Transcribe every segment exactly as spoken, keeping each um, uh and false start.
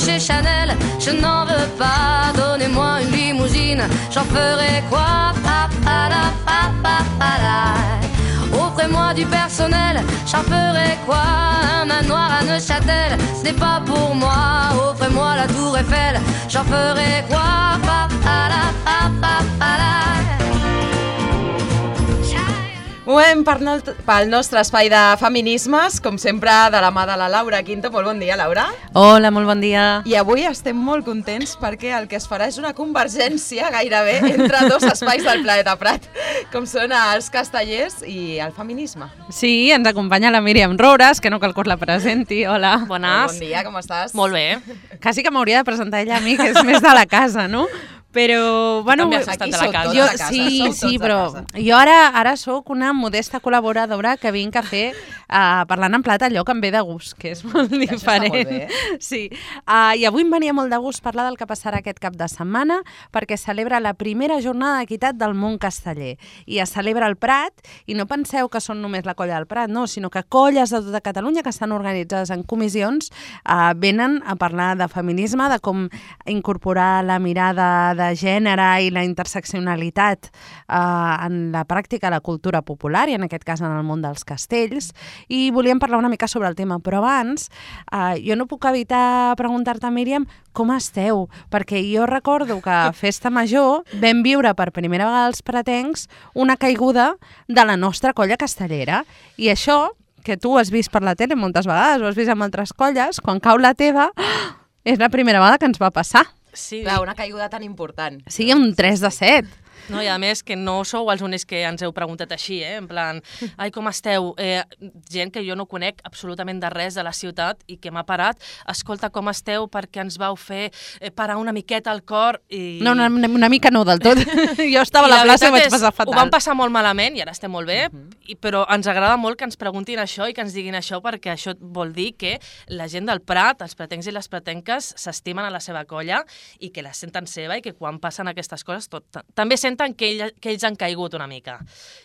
chez Chanel, je n'en veux pas. Donnez-moi une limousine, j'en ferai quoi? Pa, pa, la, pa, pa, pa, la. Offrez-moi du personnel, j'en ferai quoi? Un manoir à Neuchâtel, ce n'est pas pour moi. Offrez-moi la tour Eiffel, j'en ferai quoi? Pa, pa, la, pa, pa, pa, la. Movem pel nostre espai de feminismes, com sempre, de la mà de la Laura Quinto. Molt bon dia, Laura. Hola, molt bon dia. I avui estem molt contents perquè el que es farà és una convergència gairebé entre dos espais del Planeta Prat, com són els castellers i el feminisme. Sí, ens acompanya la Míriam Roures, que no cal que us la presenti. Hola. Bon Bones. dia, com estàs? Molt bé. Quasi que m'hauria de presentar ella a mi, que és més de la casa, no? Però, bueno, també has estat de la casa. Jo, de casa, sí, som sí, tots de però casa. jo ara ara sóc una modesta col·laboradora que vinc a fer uh, parlant en plat allò que em ve de gust, que és molt Això està diferent. molt bé. Sí. Uh, I avui em venia molt de gust parlar del que passarà aquest cap de setmana, perquè celebra la primera jornada d'equitat del món casteller. I es celebra al Prat, i no penseu que són només la colla del Prat, no, sinó que colles de tota Catalunya que estan organitzades en comissions uh, venen a parlar de feminisme, de com incorporar la mirada de gènere i la interseccionalitat eh, en la pràctica de la cultura popular i en aquest cas en el món dels castells, i volíem parlar una mica sobre el tema, però abans eh, jo no puc evitar preguntar-te, Míriam, com esteu? Perquè jo recordo que a Festa Major vam viure per primera vegada els pratencs una caiguda de la nostra colla castellera, i això, que tu has vist per la tele moltes vegades, ho has vist amb altres colles, quan cau la teva, és la primera vegada que ens va passar. Sí. Clar, una caiguda tan important. Sí, un tres de set. No, i a més que no sou els únics que ens heu preguntat així, eh? En plan, ai, com esteu? Eh, gent que jo no conec absolutament de res de la ciutat i que m'ha parat, escolta, com esteu? Perquè ens vau fer eh, parar una miqueta al cor i... No, una, una mica no del tot. Jo estava I a la plaça i vaig veritat és, passar fatal. Ho vam passar molt malament i ara estem molt bé, Uh -huh. i, però ens agrada molt que ens preguntin això i que ens diguin això, perquè això vol dir que la gent del Prat, els pratencs i les pratenques, s'estimen a la seva colla i que la senten seva, i que quan passen aquestes coses tot, també senten que, ell, que ells han caigut una mica.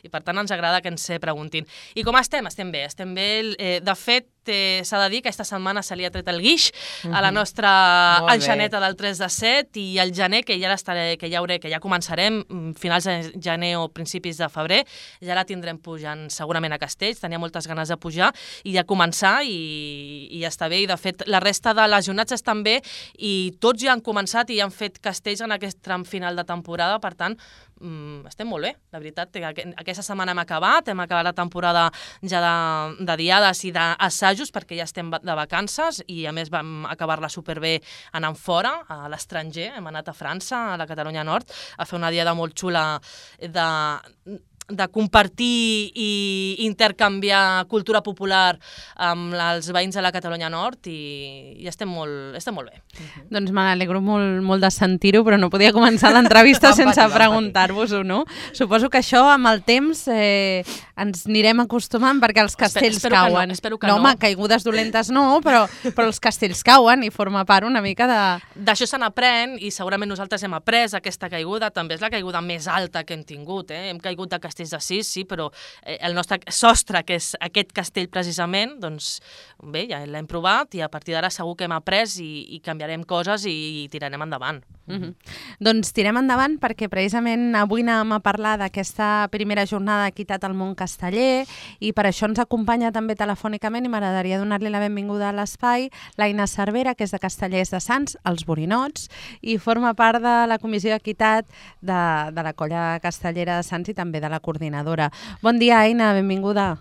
I per tant ens agrada que ens se preguntin. I com estem? Estem bé. Estem bé. Eh, de fet, eh, s'ha de dir que aquesta setmana se li ha tret el guix uh-huh. a la nostra Molt bé. enxaneta del tres de set, i el gener, que ja l'estaré, que ja hauré, que ja començarem, finals de gener o principis de febrer, ja la tindrem pujant segurament a Castells. Tenia moltes ganes de pujar i de començar, i, i ja està bé. I de fet, la resta de legionats estan bé i tots ja han començat i han fet castells en aquest tram final de temporada. Per tant, mm, estem molt bé, la veritat. Aquesta setmana hem acabat, hem acabat la temporada ja de, de diades i d'assajos, perquè ja estem de vacances, i a més vam acabar-la superbé anant fora, a l'estranger. Hem anat a França, a la Catalunya Nord, a fer una diada molt xula de... de compartir i intercanviar cultura popular amb els veïns de la Catalunya Nord, i, i estem, molt, estem molt bé. Uh-huh. Doncs me n'alegro molt, molt de sentir-ho, però no podia començar l'entrevista sense preguntar-vos-ho, no? Suposo que això amb el temps eh, ens anirem acostumant, perquè els castells espero cauen. Que no, espero que no, no. home, caigudes dolentes no, però, però els castells cauen i forma part una mica de... D'això se n'aprèn, i segurament nosaltres hem après aquesta caiguda. També és la caiguda més alta que hem tingut, eh? Hem caigut de castells de sis, sí, però eh, el nostre sostre, que és aquest castell precisament, doncs bé, ja l'hem provat, i a partir d'ara segur que hem après i, i canviarem coses i, i tirarem endavant. Mm-hmm. Doncs tirem endavant, perquè precisament avui anem a parlar d'aquesta primera jornada d'equitat al món casteller, i per això ens acompanya també telefònicament, i m'agradaria donar-li la benvinguda a l'espai, l'Aina Cervera, que és de Castellers de Sants, els Borinots, i forma part de la comissió d'equitat de, de la colla castellera de Sants i també de la coordinadora. Bon dia, Aina, benvinguda.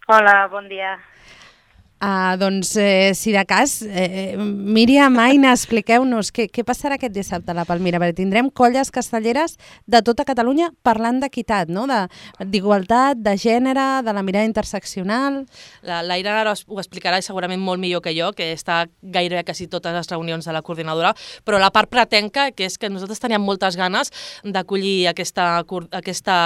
Hola, bon dia. Uh, doncs, eh, si de cas, eh, Míriam, Aina, expliqueu-nos què, què passarà aquest dissabte a la Palmira, perquè tindrem colles castelleres de tota Catalunya parlant d'equitat, no? D'igualtat, de, de gènere, de la mirada interseccional... L'Aina ara ho explicarà segurament molt millor que jo, que està gairebé quasi totes les reunions de la coordinadora, però la part pratenca, que és que nosaltres teníem moltes ganes d'acollir aquesta, aquesta,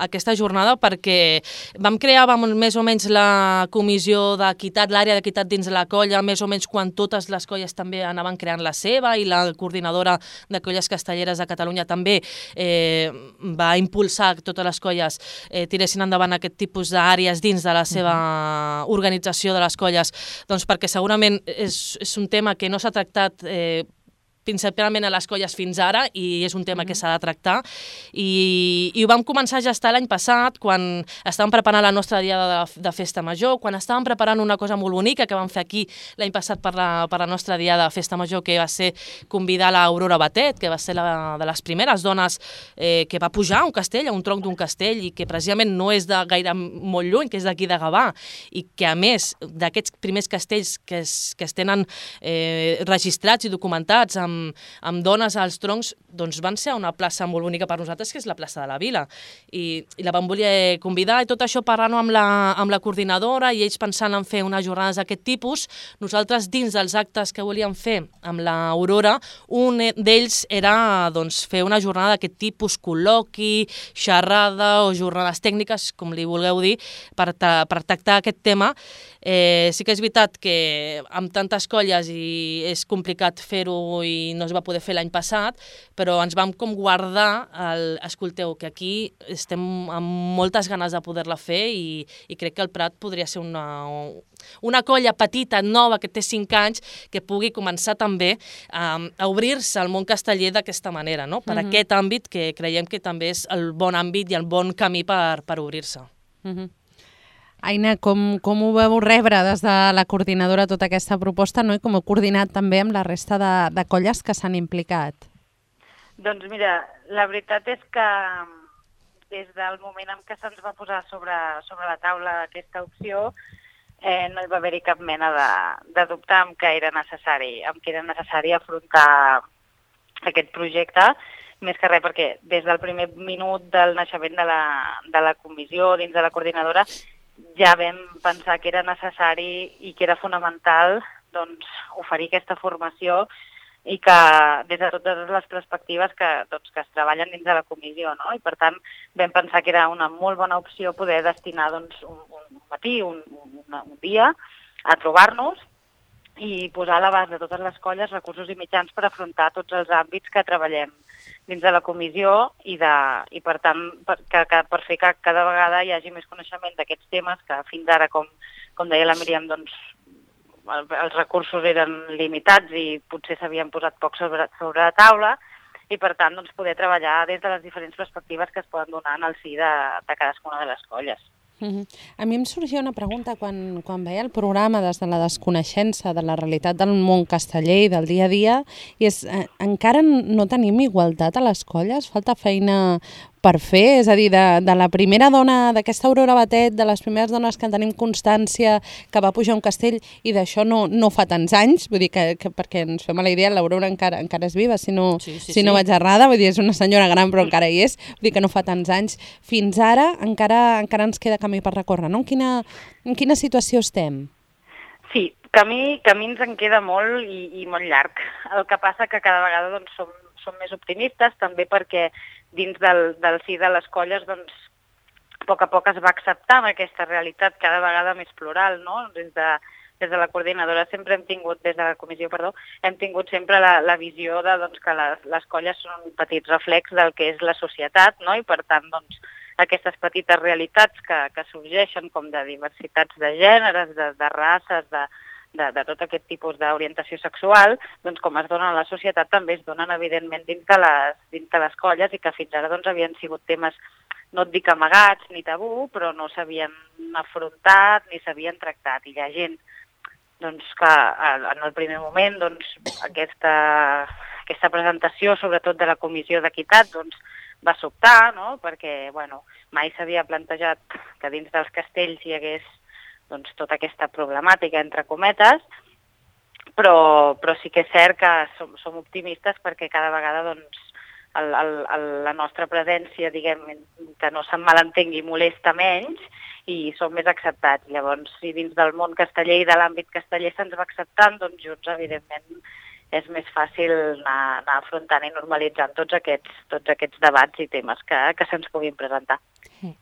aquesta jornada, perquè vam crear vam, més o menys la comissió d'equitat l'àrea d'equitat dins la colla, més o menys quan totes les colles també anaven creant la seva i la coordinadora de colles castelleres de Catalunya també eh, va impulsar que totes les colles eh, tiressin endavant aquest tipus d'àrees dins de la seva organització de les colles, doncs perquè segurament és, és un tema que no s'ha tractat eh, principalment a les colles fins ara i és un tema que s'ha de tractar i, i ho vam començar a gestar l'any passat quan estàvem preparant la nostra diada de, de festa major, quan estàvem preparant una cosa molt bonica que vam fer aquí l'any passat per la, per la nostra diada de festa major, que va ser convidar l'Aurora Batet, que va ser la, de les primeres dones eh, que va pujar a un castell, a un tronc d'un castell i que precisament no és de gaire molt lluny, que és d'aquí de Gavà i que a més d'aquests primers castells que es, que es tenen eh, registrats i documentats amb amb dones als troncs, doncs van ser a una plaça molt bonica per nosaltres, que és la plaça de la Vila. I, i la vam voler convidar, i tot això parlant amb la, amb la coordinadora, i ells pensant en fer unes jornades d'aquest tipus. Nosaltres, dins dels actes que volíem fer amb l'Aurora, un d'ells era doncs, fer una jornada d'aquest tipus, col·loqui, xerrada o jornades tècniques, com li vulgueu dir, per, ta, per tractar aquest tema. Eh, sí que és veritat que amb tantes colles i és complicat fer-ho i no es va poder fer l'any passat, però ens vam com guardar el, escolteu, que aquí estem amb moltes ganes de poder-la fer i, i crec que el Prat podria ser una, una colla petita, nova, que té cinc anys, que pugui començar també um, a obrir-se al món casteller d'aquesta manera, no? Per mm-hmm. aquest àmbit que creiem que també és el bon àmbit i el bon camí per, per obrir-se. Mm-hmm. Aina, com, com ho veu rebre des de la coordinadora tota aquesta proposta, no? I com heu coordinat també amb la resta de, de colles que s'han implicat? Doncs mira, la veritat és que des del moment en què se'ns va posar sobre, sobre la taula aquesta opció eh, no hi va haver-hi cap mena de, de dubte amb que era necessari, amb que era necessari afrontar aquest projecte, més que res perquè des del primer minut del naixement de la, de la comissió dins de la coordinadora ja vam pensar que era necessari i que era fonamental doncs, oferir aquesta formació i que des de totes les perspectives que, doncs, que es treballen dins de la comissió, no? I per tant vam pensar que era una molt bona opció poder destinar doncs, un, un matí, un, un, un dia a trobar-nos i posar a l'abast de totes les colles recursos i mitjans per afrontar tots els àmbits que treballem dins de la comissió i, de, i per tant, per, que, que, per fer que cada vegada hi hagi més coneixement d'aquests temes que fins ara, com, com deia la Míriam, doncs, el, els recursos eren limitats i potser s'havien posat poc sobre, sobre la taula i per tant doncs, poder treballar des de les diferents perspectives que es poden donar en el si de, de cadascuna de les colles. Uh-huh. A mi em sorgia una pregunta quan, quan veia el programa des de la desconeixença de la realitat del món casteller i del dia a dia, i és, eh, encara no tenim igualtat a les colles? Falta feina per fer? És a dir, de, de la primera dona, d'aquesta Aurora Batet, de les primeres dones que en tenim constància que va pujar a un castell, i d'això no, no fa tants anys, vull dir que, que perquè ens fem a la idea, l'Aurora encara, encara és viva, si no, sí, sí, si no sí. vaig errada, vull dir, és una senyora gran però encara hi és, vull dir que no fa tants anys. Fins ara encara, encara ens queda camí per recórrer, no? En quina, en quina situació estem? Sí, camí, camí ens en queda molt i, i molt llarg. El que passa que cada vegada doncs, som, som més optimistes, també perquè dins del, del si de les colles, doncs, a poc a poc es va acceptant aquesta realitat cada vegada més plural, no? Des de, des de la coordinadora sempre hem tingut, des de la comissió, perdó, hem tingut sempre la, la visió de doncs, que les, les colles són un petit reflex del que és la societat, no? I per tant, doncs, aquestes petites realitats que, que sorgeixen com de diversitats de gèneres, de, de races, de, de, de tot aquest tipus d'orientació sexual, doncs com es donen a la societat també es donen evidentment dins de les, dins de les colles i que fins ara doncs, havien sigut temes, no et dic amagats ni tabú, però no s'havien afrontat ni s'havien tractat. I hi ha gent doncs, que en el primer moment doncs, aquesta, aquesta presentació, sobretot de la Comissió d'Equitat, doncs, va sobtar, no? Perquè bueno, mai s'havia plantejat que dins dels castells hi hagués doncs, tota aquesta problemàtica, entre cometes, però, però sí que és cert que som, som optimistes perquè cada vegada doncs, el, el, el, la nostra presència, diguem, que no se'n malentengui, molesta menys i som més acceptats. Llavors, si dins del món casteller i de l'àmbit casteller se'ns va acceptant, doncs junts, evidentment, és més fàcil anar, anar afrontant i normalitzant tots aquests, tots aquests debats i temes que, que se'ns puguin presentar.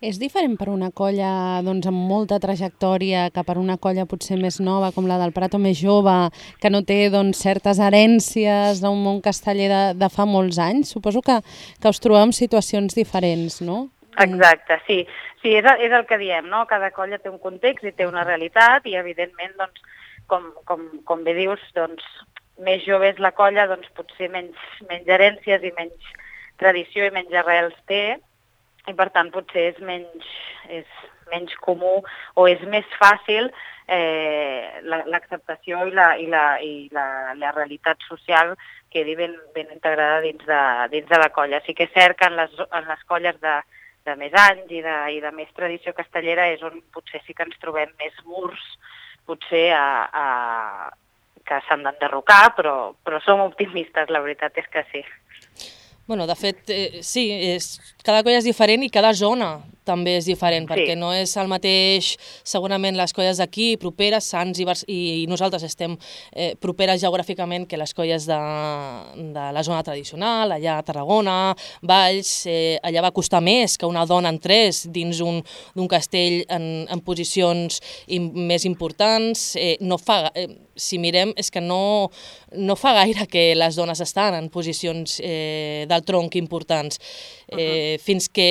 És diferent per una colla doncs, amb molta trajectòria que per una colla potser més nova, com la del Prat o més jove, que no té doncs, certes herències d'un món casteller de, de fa molts anys? Suposo que, que us trobeu en situacions diferents, no? Exacte, sí. Sí, és, és el que diem, no? Cada colla té un context i té una realitat i, evidentment, doncs, com, com, com bé dius, doncs, més jove és la colla, doncs potser menys, menys herències i menys tradició i menys arrels té, i per tant potser és menys, és menys comú o és més fàcil eh, l'acceptació i, la, i, la, i la, la realitat social quedi ben, ben integrada dins de, dins de la colla. Sí que és cert que en les, en les colles de, de més anys i de, i de més tradició castellera és on potser sí que ens trobem més murs, potser a, a que s'han d'enderrocar, però, però som optimistes, la veritat és que sí. Bueno, de fet, eh, sí, és, cada colla és diferent i cada zona també és diferent, sí. Perquè no és el mateix, segurament, les colles d'aquí, properes, Sants i, i, i nosaltres estem eh, properes geogràficament que les colles de, de la zona tradicional, allà a Tarragona, Valls, eh, allà va costar més que una dona entrés dins d'un castell en, en posicions im, més importants. Eh, no fa, eh, si mirem, és que no, no fa gaire que les dones estan en posicions eh, del tronc importants, eh, uh-huh. fins que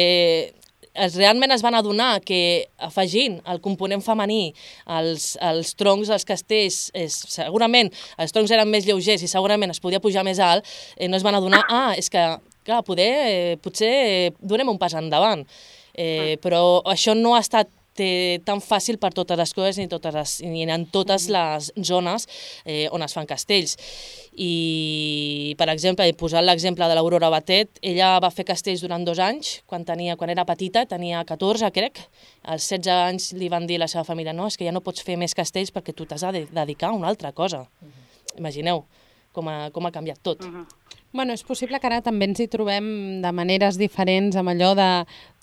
es, realment es van adonar que afegint el component femení als, als troncs dels castells, és, segurament els troncs eren més lleugers i segurament es podia pujar més alt, eh, no es van adonar, ah, és que clar, poder, eh, potser donem un pas endavant, eh, però això no ha estat té tan fàcil per totes les coses ni, totes les, ni en totes les zones eh, on es fan castells. I, per exemple, he posat l'exemple de l'Aurora Batet, ella va fer castells durant dos anys, quan, tenia, quan era petita, tenia catorze, crec, als setze anys li van dir a la seva família, no, és que ja no pots fer més castells perquè tu t'has de dedicar a una altra cosa. Uh-huh. Imagineu com ha, com ha canviat tot. Uh-huh. Bueno, és possible que ara també ens hi trobem de maneres diferents amb allò de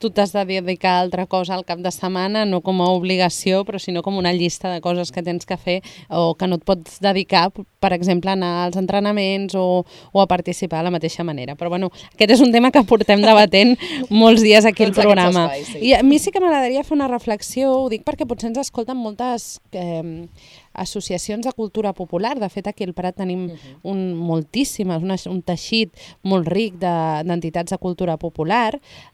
tu t'has de dedicar a altra cosa al cap de setmana, no com a obligació, però sinó com una llista de coses que tens que fer o que no et pots dedicar, per exemple, a anar als entrenaments o, o a participar de la mateixa manera. Però bueno, aquest és un tema que portem debatent molts dies aquí al programa. Espais, sí. I a mi sí que m'agradaria fer una reflexió, ho dic perquè potser ens escolten moltes eh, associacions de cultura popular. De fet, aquí al Prat tenim uh-huh. un, moltíssimes, una, un teixit molt ric d'entitats de, de cultura popular,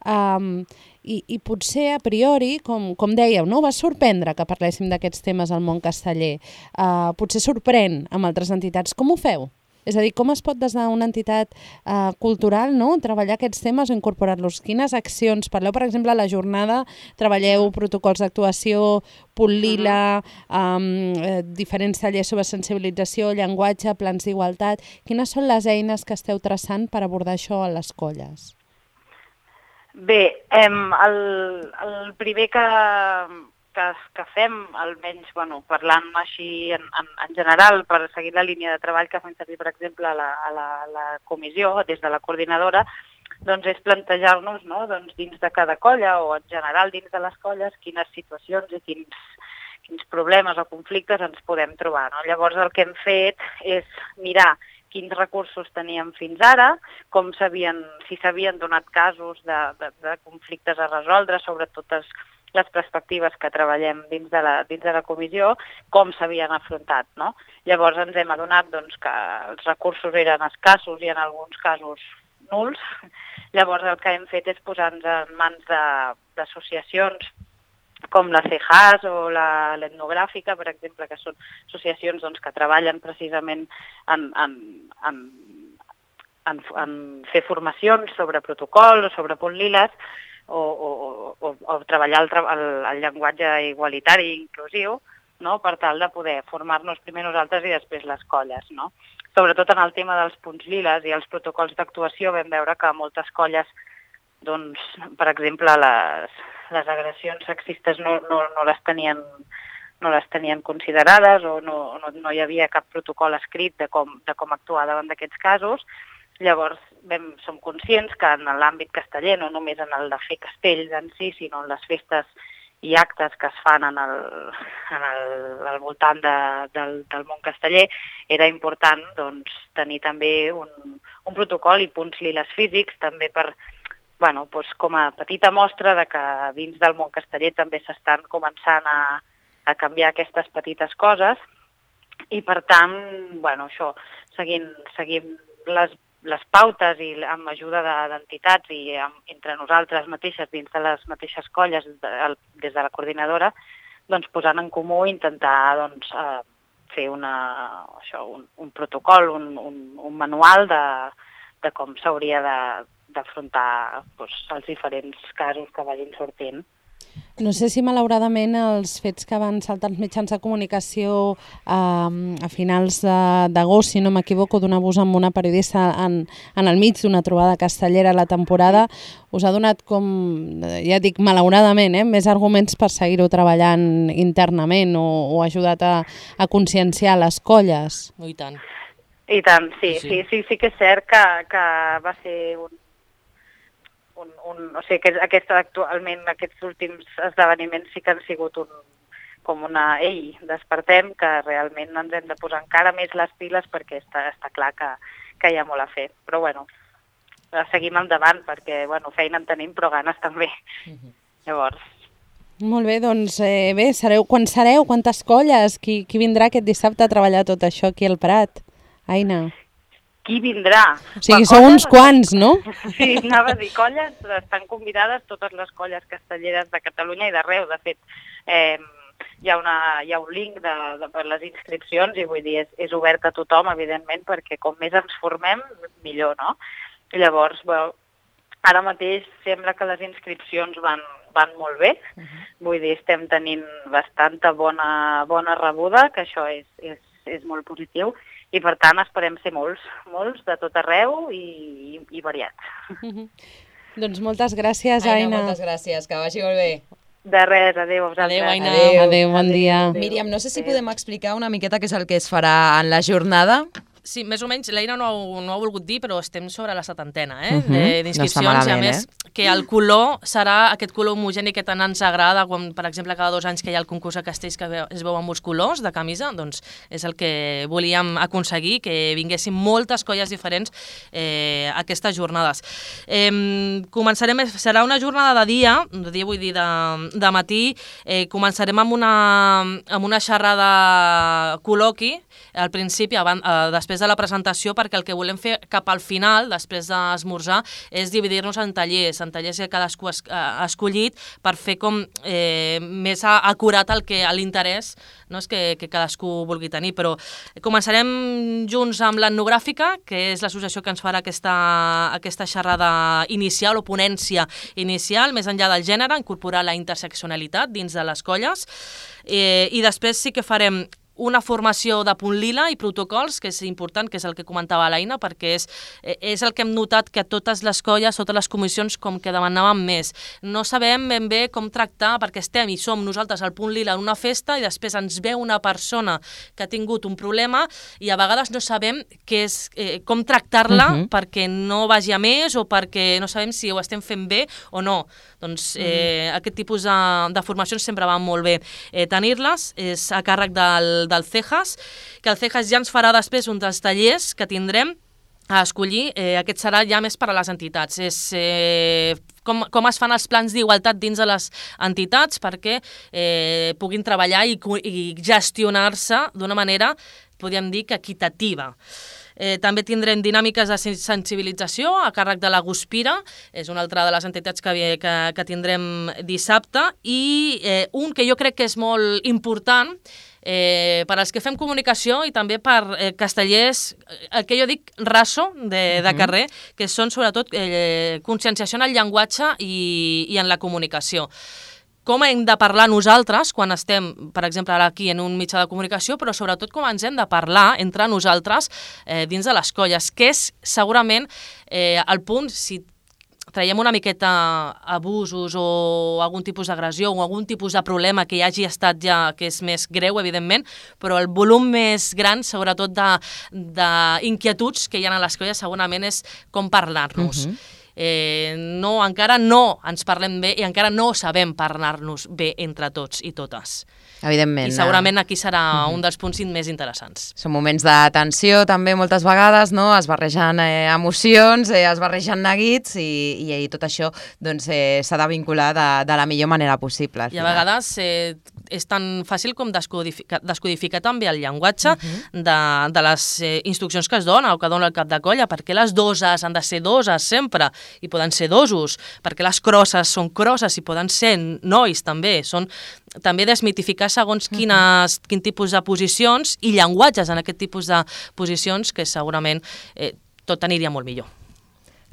um, i, i potser a priori, com, com dèieu, no? Va sorprendre que parléssim d'aquests temes al món casteller. Uh, potser sorprèn amb altres entitats. Com ho feu? És a dir, com es pot des d'una entitat uh, cultural, no? treballar aquests temes o incorporar-los? Quines accions? Parleu, per exemple, a la jornada, treballeu protocols d'actuació, punt lila, um, eh, diferents tallers sobre sensibilització, llenguatge, plans d'igualtat. Quines són les eines que esteu traçant per abordar això a les colles? Bé, em, el, el primer que, que, que fem, almenys bueno, parlant així en, en, en general, per seguir la línia de treball que fem servir, per exemple, a la, a la, a la comissió, des de la coordinadora, doncs és plantejar-nos, no, doncs, dins de cada colla o en general dins de les colles quines situacions i quins, quins problemes o conflictes ens podem trobar. No? Llavors el que hem fet és mirar quins recursos teníem fins ara, com s'havien, si s'havien donat casos de, de, de conflictes a resoldre sobre totes les perspectives que treballem dins de la, dins de la comissió, com s'havien afrontat. No? Llavors ens hem adonat doncs, que els recursos eren escassos i en alguns casos nuls. Llavors el que hem fet és posar-nos en mans d'associacions com la C E J A S o l'Etnogràfica, per exemple, que són associacions doncs, que treballen precisament en, en, en, en, en fer formacions sobre protocol o sobre punt liles o, o, o, o treballar el, el, el llenguatge igualitari i inclusiu, no? Per tal de poder formar-nos primer nosaltres i després les colles. No? Sobretot en el tema dels punts liles i els protocols d'actuació vam veure que moltes colles, doncs, per exemple, les... les agressions sexistes no, no, no, les tenien, no les tenien considerades o no, no, no hi havia cap protocol escrit de com, de com actuar davant d'aquests casos. Llavors vam, som conscients que en l'àmbit casteller, no només en el de fer castells en si, sinó en les festes i actes que es fan en el, en el, al voltant de, del, del món casteller, era important doncs, tenir també un, un protocol i punts liles físics, també per, bueno, doncs, com a petita mostra de que dins del món casteller també s'estan començant a, a canviar aquestes petites coses, i per tant, bueno, això, seguint, seguint les, les pautes i amb ajuda d'entitats i amb, entre nosaltres mateixes, dins de les mateixes colles, de, des de la coordinadora, doncs posant en comú i intentar doncs, eh, fer una, això, un, un protocol, un, un, un manual de, de com s'hauria d'afrontar doncs, els diferents casos que vagin sortint. No sé si malauradament els fets que van saltar els mitjans de comunicació eh, a finals d'agost, si no m'equivoco, d'un abús amb una periodista en, en el mig d'una trobada castellera a la temporada, us ha donat com, ja dic malauradament, eh, més arguments per seguir-ho treballant internament o, o ajudat a, a conscienciar les colles? I tant. I tant, sí, sí, sí, sí, sí que és cert que, que va ser un Un, un, o sigui, que aquest, actualment aquests últims esdeveniments sí que han sigut un, com una ei, despertem, que realment ens hem de posar encara més les piles perquè està, està clar que, que hi ha molt a fer. Però bueno, seguim endavant perquè bueno, feina en tenim però ganes també. Uh-huh. Llavors... Molt bé, doncs eh, bé, sereu, quan sereu? Quantes colles? Qui, qui vindrà aquest dissabte a treballar tot això aquí al Prat? Aina. Qui vindrà? O sigui, sou uns quants, no? Sí, anava a dir, colles, estan convidades totes les colles castelleres de Catalunya i d'arreu. De fet, eh, hi, ha una, hi ha un link de, de, per les inscripcions i vull dir, és, és obert a tothom, evidentment, perquè com més ens formem, millor, no? I llavors, bueno, ara mateix sembla que les inscripcions van, van molt bé. Uh-huh. Vull dir, estem tenint bastanta bona, bona rebuda, que això és, és, és molt positiu. I, per tant, esperem ser molts, molts de tot arreu i, i, i variats. Mm-hmm. Doncs moltes gràcies, Aina. Aina. Moltes gràcies, que vagi molt bé. De res, adéu a vosaltres. Adéu, Aina. Adéu, adéu, bon dia. Adéu. Míriam, no sé si podem explicar una miqueta què és el que es farà en la jornada. Sí, més o menys, l'Eina no, no ha volgut dir, però estem sobre la setantena, eh? Uh-huh. D'inscripcions, no i a més eh? que el color serà aquest color homogeni que tant ens agrada, quan, per exemple, cada dos anys que hi ha el concurs de castells que es veu amb molts colors de camisa, doncs és el que volíem aconseguir, que vinguessin moltes colles diferents eh, a aquestes jornades. Eh, començarem, serà una jornada de dia, de dia vull dir de, de matí, eh, començarem amb una, amb una xerrada col·loqui, al principi, abans, eh, després de la presentació, perquè el que volem fer cap al final, després d'esmorzar, és dividir-nos en tallers, en tallers que cadascú ha escollit per fer com eh, més acurat el que l'interès, no és que, que cadascú vulgui tenir, però començarem junts amb l'etnogràfica, que és l'associació que ens farà aquesta, aquesta xerrada inicial o ponència inicial, més enllà del gènere, incorporar la interseccionalitat dins de les colles, eh, i després sí que farem una formació de punt lila i protocols, que és important, que és el que comentava l'Aina, perquè és, és el que hem notat que totes les colles, totes les comissions, com que demanàvem més. No sabem ben bé com tractar, perquè estem i som nosaltres al punt lila en una festa i després ens ve una persona que ha tingut un problema i a vegades no sabem què és, eh, com tractar-la uh-huh. perquè no vagi a més o perquè no sabem si ho estem fent bé o no. Doncs eh, uh-huh. aquest tipus de, de formacions sempre van molt bé. Eh, tenir-les és a càrrec del del C E J A S, que el C E J A S ja ens farà després un dels tallers que tindrem a escollir. Eh, aquest serà ja més per a les entitats. És eh, com, com es fan els plans d'igualtat dins de les entitats perquè eh, puguin treballar i, i gestionar-se d'una manera, podríem dir, que equitativa. Eh, també tindrem dinàmiques de sensibilització a càrrec de la Guspira, és una altra de les entitats que, que, que tindrem dissabte, i eh, un que jo crec que és molt important, Eh, per als que fem comunicació i també per eh, castellers, el que jo dic raso de, de carrer, que són sobretot eh, conscienciació en el llenguatge i, i en la comunicació. Com hem de parlar nosaltres quan estem, per exemple, ara aquí en un mitjà de comunicació, però sobretot com ens hem de parlar entre nosaltres eh, dins de les colles, que és segurament eh, el punt, si traiem una miqueta abusos o algun tipus d'agressió o algun tipus de problema que hi hagi estat ja, que és més greu, evidentment, però el volum més gran, sobretot d'inquietuds que hi ha a les colles, segurament és com parlar-nos. Uh-huh. eh, no, encara no ens parlem bé i encara no sabem parlar-nos bé entre tots i totes. Evidentment. I segurament aquí serà uh-huh. un dels punts més interessants. Són moments de tensió també moltes vegades, no? Es barregen eh, emocions, eh, es barregen neguits i, i, i tot això doncs, eh, s'ha de vincular de, de la millor manera possible. I a vegades eh, és tan fàcil com descodificar, descodificar també el llenguatge uh-huh. de, de les eh, instruccions que es dona o que dona el cap de colla. Per què les doses han de ser doses sempre i poden ser dosos? Per què les crosses són crosses i poden ser nois també? Són també desmitificar segons quines, uh-huh. quin tipus de posicions i llenguatges en aquest tipus de posicions que segurament eh, tot aniria molt millor.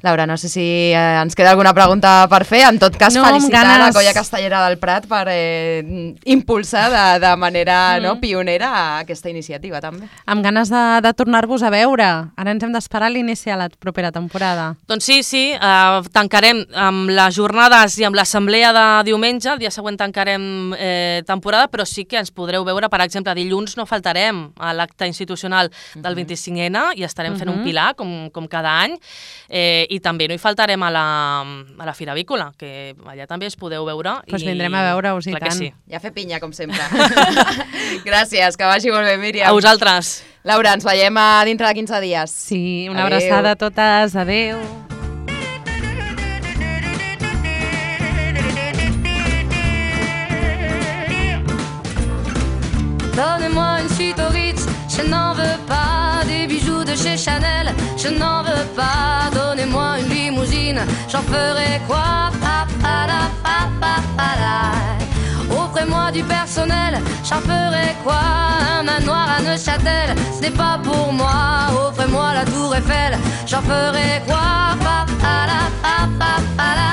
Laura, no sé si eh, ens queda alguna pregunta per fer. En tot cas, no, felicitar ganes... la Colla Castellera del Prat per eh, impulsar de, de manera mm. no, pionera aquesta iniciativa, també. Amb ganes de, de tornar-vos a veure. Ara ens hem d'esperar a l'inici de la propera temporada. Doncs sí, sí. Uh, tancarem amb les jornades i amb l'assemblea de diumenge. El dia següent tancarem eh, temporada, però sí que ens podreu veure, per exemple, dilluns no faltarem a l'acte institucional del vint-i-cinc ene i estarem fent uh-huh. un pilar, com, com cada any. Eh, I també no hi faltarem a la, a la Fira Avícola, que allà també es podeu veure. Doncs pues i... vindrem a veure-us i tant. Sí. I a fer pinya, com sempre. Gràcies, que vagi molt bé, Míriam. A vosaltres. Laura, ens veiem a dintre de quinze dies. Sí, una Adeu. abraçada a totes. Adéu. Donnez-moi une suite au Ritz, je n'en veux pas. Des bijoux de chez Chanel, je n'en veux pas. Donnez-moi une limousine, j'en ferai quoi? Pa, pa, la, pa, pa, pa, la. Offrez-moi du personnel, j'en ferai quoi? Un manoir à Neuchâtel, ce n'est pas pour moi. Offrez-moi la tour Eiffel, j'en ferai quoi? Pa, pa, la, pa, pa, pa, la.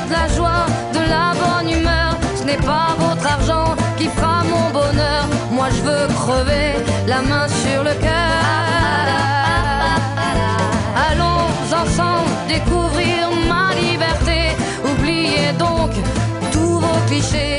De la joie, de la bonne humeur, ce n'est pas votre argent qui fera mon bonheur. Moi je veux crever la main sur le cœur. Allons ensemble découvrir ma liberté. Oubliez donc tous vos clichés.